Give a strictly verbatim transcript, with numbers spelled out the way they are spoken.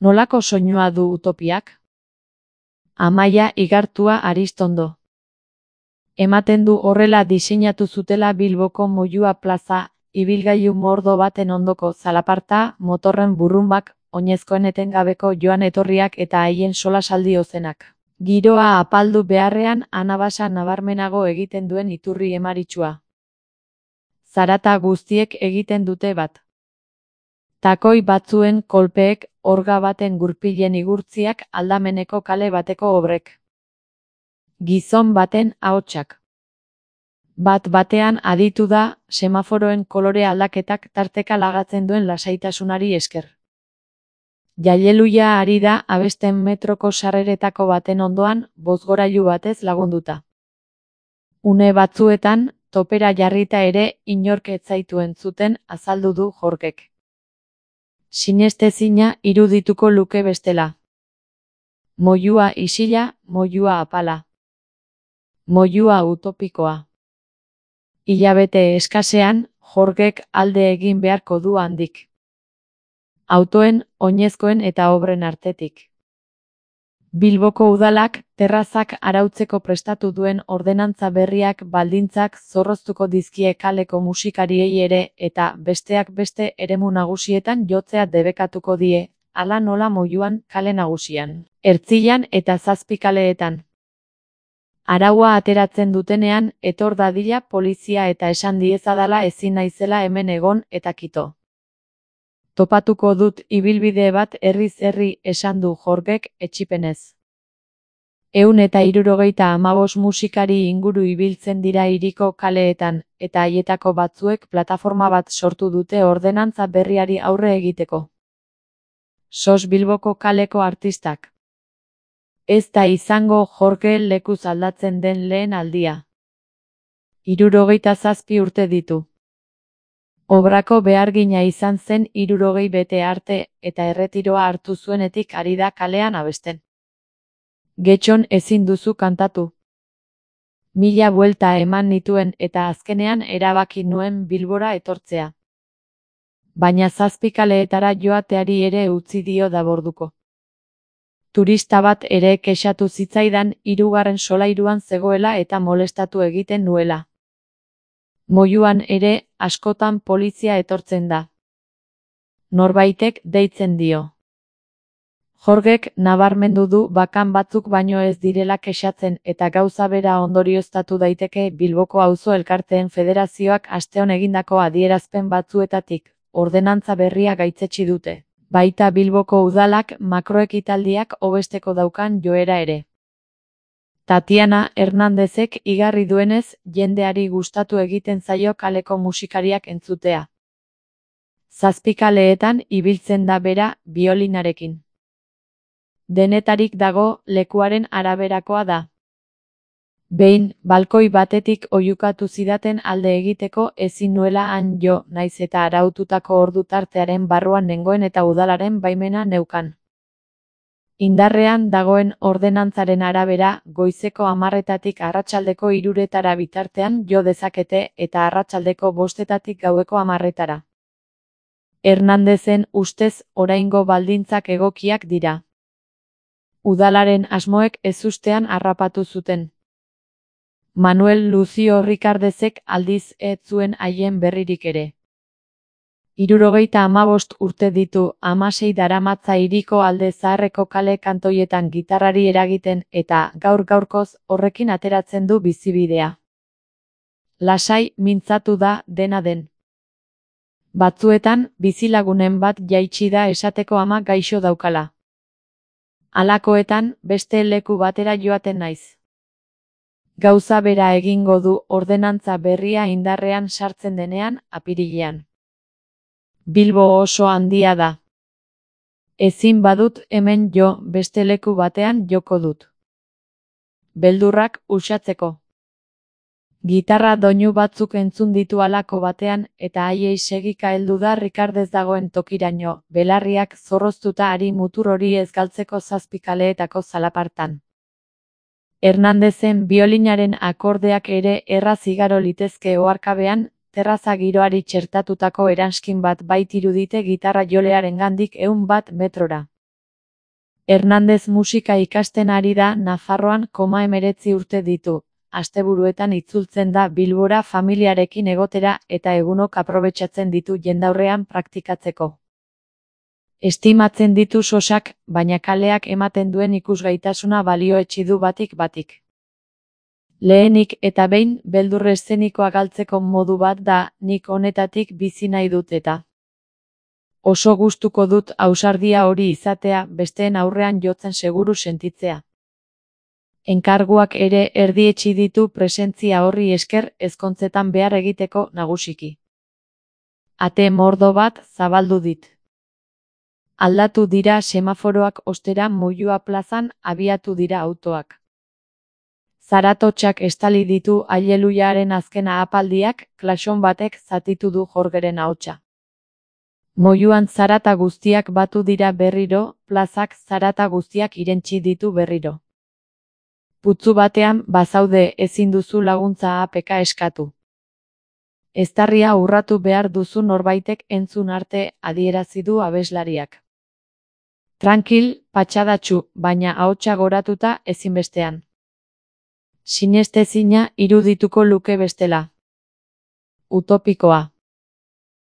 Nolako soinua du utopiak? Amaia Igartua Aristondo. Ematen du horrela diseinatu zutela Bilboko Moyua plaza, ibilgailu mordo baten ondoko zalaparta, motorren burrumbak, oinezkoen etengabeko joan etorriak eta haien solasaldi ozenak. Giroa apaldu beharrean anabasa nabarmenago egiten duen iturri emaritsua. Zarata guztiek egiten dute bat. Takoi batzuen kolpeek, orga baten gurpilen igurtziak aldameneko kale bateko obrek. Gizon baten ahotsak. Bat batean aditu da, semaforoen kolore aldaketak tarteka lagatzen duen lasaitasunari esker. Jaileluia ari da abesten metroko sarreretako baten ondoan, bozgorailu batez lagunduta. Une batzuetan, topera jarrita ere inork ez zaitu entzuten azaldu du Jorgek. Sinestezina irudituko luke bestela. Moyua isila, moyua apala. Moyua utopikoa. Hilabete eskasean, Jorgek alde egin beharko du handik. Autoen, oinezkoen eta obren artetik. Bilboko udalak, terrazak arautzeko prestatu duen ordenantza berriak baldintzak zorroztuko dizkie kaleko musikariei ere eta besteak beste eremu nagusietan jotzea debekatuko die, hala nola Moyuan kale nagusian, Ertzilan eta zazpi kaleetan. Araua ateratzen dutenean, etor dadila polizia eta esan diezadala ezin naizela hemen egon eta kito. Topatuko dut ibilbide bat herriz herri esan du Jorgek etsipenez. Ehun eta hirurogeita hamabost musikari inguru ibiltzen dira hiriko kaleetan, eta haietako batzuek plataforma bat sortu dute ordenantza berriari aurre egiteko. Sos Bilboko kaleko artistak. Ez da izango Jorge lekuz aldatzen den lehen aldia. Hirurogeita zazpi urte ditu. Obrako behargina izan zen hirurogei bete arte eta erretiroa hartu zuenetik ari da kalean abesten. Getxon ezin duzu kantatu. Mila buelta eman nituen eta azkenean erabaki nuen Bilbora etortzea. Baina zazpi kaleetara joateari ere utzi dio daborduko. Turista bat ere kexatu zitzaidan hirugarren solairuan zegoela eta molestatu egiten nuela. Moyuan ere, askotan polizia etortzen da. Norbaitek deitzen dio. Jorgek nabarmendu du bakan batzuk baino ez direla kexatzen eta gauza bera ondorioztatu daiteke Bilboko Auzo Elkarteen Federazioak asteon egindako adierazpen batzuetatik, ordenantza berria gaitzetsi dute. Baita Bilboko udalak makroekitaldiak hobesteko daukan joera ere. Tatiana Hernandezek igarri duenez, jendeari gustatu egiten zaio kaleko musikariak entzutea. Zazpi kaleetan ibiltzen da bera biolinarekin. Denetarik dago, lekuaren araberakoa da. Behin, balkoi batetik oihukatu zidaten alde egiteko ezin nuela han jo, naiz eta araututako ordu tartearen barruan nengoen eta udalaren baimena neukan. Indarrean dagoen ordenantzaren arabera, goizeko hamarretatik arratsaldeko hiruretara bitartean jo dezakete eta arratsaldeko bostetatik gaueko hamarretara. Hernandezen ustez oraingo baldintzak egokiak dira. Udalaren asmoek ezustean harrapatu zuten. Manuel Lucio Ricardezek aldiz ez zuen haien berririk ere. Hirurogeita hamabost urte ditu, hamasei daramatza hiriko alde zaharreko kale kantoietan gitarrari eragiten eta gaur gaurkoz horrekin ateratzen du bizibidea. Lasai mintzatu da dena den. Batzuetan bizilagunen bat jaitsi da esateko ama gaixo daukala. Halakoetan beste leku batera joaten naiz. Gauza bera egingo du ordenantza berria indarrean sartzen denean, apirilean. Bilbo oso handia da. Ezin badut hemen jo, beste leku batean joko dut. Beldurrak uxatzeko. Gitarra doinu batzuk entzun ditu halako batean eta haiei segika heldu da Ricardez dagoen tokiraino, belarriak zorroztuta ari mutur hori ez galtzeko zazpi kaleetako zalapartan. Hernandezen biolinaren akordeak ere erraz igaro litezke oharkabean, terraza giroari txertatutako eranskin bat baitirudite gitarra jolearengandik ehun bat metrora. Hernandez musika ikasten ari da Nafarroan koma hemeretzi urte ditu, asteburuetan itzultzen da Bilbora familiarekin egotera eta egunok aprobetxatzen ditu jendaurrean praktikatzeko. Estimatzen ditu sosak, baina kaleak ematen duen ikusgaitasuna balioetsi du batik batik. Lehenik eta behin beldur eszenikoa galtzeko modu bat da, nik honetatik bizi nahi dut eta. Oso gustuko dut ausardia hori izatea, besteen aurrean jotzen seguru sentitzea. Enkarguak ere erdietsi ditu presentzia horri esker ezkontzetan behar egiteko nagusiki. Ate mordo bat zabaldu dit. Aldatu dira semaforoak ostera Moyua plazan abiatu dira autoak. Zaratotxak estali ditu Allelujaren azkena apaldiak, klaxon batek zatitu du Jorgeren ahotsa. Moyuan zarata guztiak batu dira berriro, plazak zarata guztiak irentsi ditu berriro. Putzu batean bazaude ezin duzu laguntza apeka eskatu. Eztarria urratu behar duzu norbaitek entzun arte adierazi du abeslariak. Trankil, patxadatxu, baina ahotsa goratuta ezinbestean. Sinestezina irudituko luke bestela. Utopikoa.